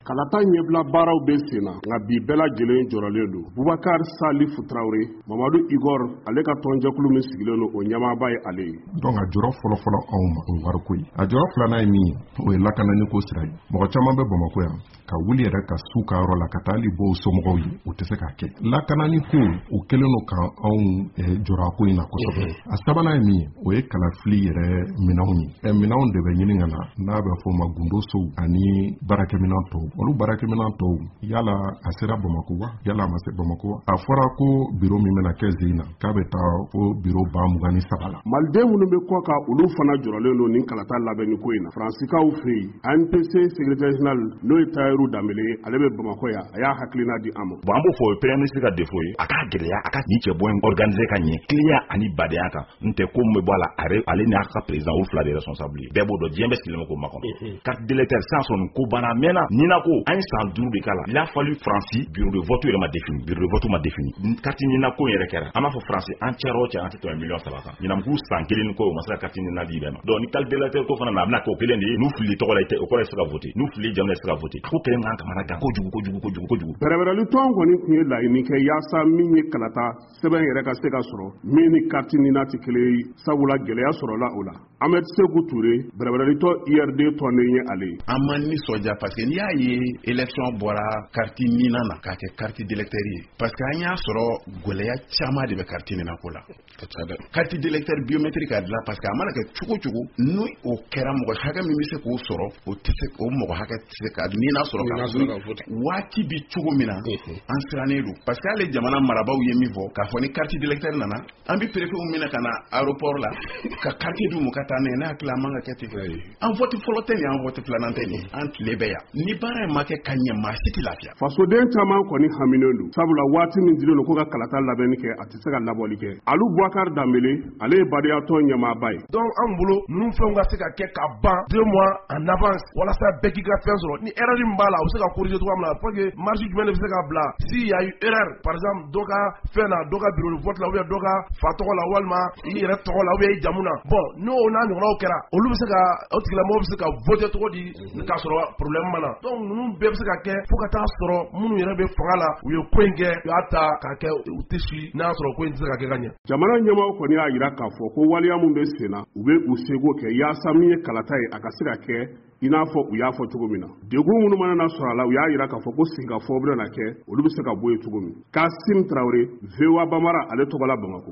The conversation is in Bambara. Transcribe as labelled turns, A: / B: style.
A: Kalata ɲɛbila baaraw bɛ sen na, nka bi bɛɛ lajɛlen jɔrɔlen don. Bubakari Salifu Tarawele, Mamadu Igor, ale ka tɔnjɛkulu min sigilen don, o ɲɛmaaba ye ale ye.
B: Donc a jɔrɔ fɔlɔfɔlɔ anw ma, o ye wariko ye. A jɔrɔ filanan ye min ye, o ye lakanani ko sira ye. Mɔgɔ caman bɛ Bamakɔ yan ka wuli yɛrɛ ka s'u ka yɔrɔ la ka taa hali bɔ u somɔgɔw ye, u tɛ se k'a kɛ. Lakanani ko, o kɛlen don ka anw jɔrɔ a ko in na kosɛbɛ. A sabanan ye min ye, o ye kalafili yɛrɛ minɛnw ye. Minɛnw de bɛ ɲini ka na, n'a bɛ fɔ o ma gundo sow ani baarakɛminɛn tɔw. Olu baarakɛminɛn tɔw, yala a sera Bamakɔ wa, yala a ma se Bamakɔ wa? A fɔra ko biro min bɛna kɛ zen na, k'a bɛ taa fo biro 23 000 la.
A: Maliden minnu bɛ kɔ kan, olu fana jɔrɔlen don nin kalata labɛnni ko in na. Faransikaw fɛ yen, ANPC secrétaire général, n'o ye Tayiru Danbele ye, ale bɛ Bamakɔ yan, a y'a hakilina di an ma.
C: Bon, an b'o fɔ, o ye premier ministre ka défaut ye. A k'a gɛlɛya a ka nin cɛ bɔ in organiser ka ɲɛ, tilenya ani badenya kan. N tɛ ko min bɛ bɔ a la, ale n'a ka président, olu fila de responsable ye. Bɛɛ b'o dɔn, diɲɛ bɛɛ sigilen bɛ k'o makɔnɔ. Carte d'électeur sisan sɔrɔ nin ko banna a mɛnna. Nina ko an ye san 5 de k'a la. Il a fallu Faransi bureau de vote yɛrɛ ma défini, bureau de vote ma défini, carte nina ko yɛrɛ kɛra. An b'a fɔ Faransi, an cɛra o cɛ, an tɛ tɛmɛ miliyɔn 3 kan. Ɲinan san kelen ni kɔ, o ma se ka carte nina di bɛɛ ma. Donc ni carte d'électeur ko fana na, a bɛna kɛ o kelen de ye. N'u fili tɔgɔ la, i tɛ o kɔrɔ ye se ka voter, n'u fili jamu la, i tɛ se ka voter. A ko kelen kan kamana gan kojugu, kojugu, kojugu, kojugu.
A: Bɛrɛbɛrɛli tɔn kɔni tun ye laɲini kɛ yaasa min ye kalata sɛbɛn yɛrɛ ka se ka sɔrɔ min ni carte nina tɛ kelen ye, sabula gɛlɛya sɔrɔla o la. Ahmed Seku Ture, bɛrɛbɛrɛli tɔn IRD tɔnden ye ale ye.
D: An ma nisɔndiya parce que n'i y'a ye élection bɔra carte nina na k'a kɛ carte d'électeur ye, parce que an y'a sɔrɔ gɛlɛya caman de bɛ carte nina ko la. Carte d'électeur biométrique ka dilan, parce que a mana kɛ cogo cogo, n'o o kɛra, mɔgɔ hakɛ min bɛ se k'o sɔrɔ, o tɛ se, o mɔgɔ hakɛ tɛ se ka nina sɔrɔ ka waati bi cogo min na. An sirannen don parce que hali jamana marabaaw ye min fɔ k'a fɔ ni carte d'électeur nana, an bɛ préfet minɛ ka na aéroport la ka carte d'u ma ka taa n'a ye. Ne hakili, a man ka kɛ ten. An vote fɔlɔ tɛ nin, an vote filanan tɛ nin, an tile bɛ yan. Ni baara in ma kɛ ka ɲɛ, maa si tɛ lafiya.
A: Fasoden caman kɔni haminen don, sabula waati min dilen don ko ka kalata labɛnni kɛ, a tɛ se ka labɔli kɛ. Alu Bubakari Danbele, ale ye badiyatɔn ɲɛmaaba ye.
E: Donc an bolo, ninnu fɛnw ka se ka kɛ ka ban 2 mois en avance, walasa bɛɛ k'i ka fɛn sɔrɔ. Ni erreur min b'a la, a bɛ se ka corriger cogoya min na, pour que marge jumɛn de bɛ se ka bila si y a eu erreur, par exemple dɔ ka fɛn na, dɔ ka bureau de vote la, ou bien dɔ ka fa tɔgɔ la, walima i yɛrɛ tɔgɔ la, ou bien i jamu na. Bon, n'o n'a ɲɔgɔnnaw kɛra, olu bɛ se ka, o tigilamɔgɔ bɛ se ka voter cogo di k'a sɔrɔ problème ma na? Donc ninnu bɛɛ bɛ se ka kɛ fo ka taa sɔrɔ minnu yɛrɛ bɛ fanga la, u ye ko in kɛ, u y'a ta k'a kɛ, u tɛ si n'a y'a sɔrɔ ko in tɛ se ka kɛ ka ɲɛ.
A: Jamana ɲɛmaaw kɔni y'a jira k'a fɔ ko waleya min bɛ sen na, u bɛ u seko kɛ yaasa min ye kalata ye, a ka se ka kɛ i n'a fɔ u y'a fɔ cogo min na. Degun minnu mana na sɔrɔ a la, u y'a jira k'a fɔ ko sigikafɔ bɛna na kɛ, olu bɛ se ka bɔ yen cogo min. Kasim Tarawele, VOA Bambara, ale tɔgɔ la Bamakɔ.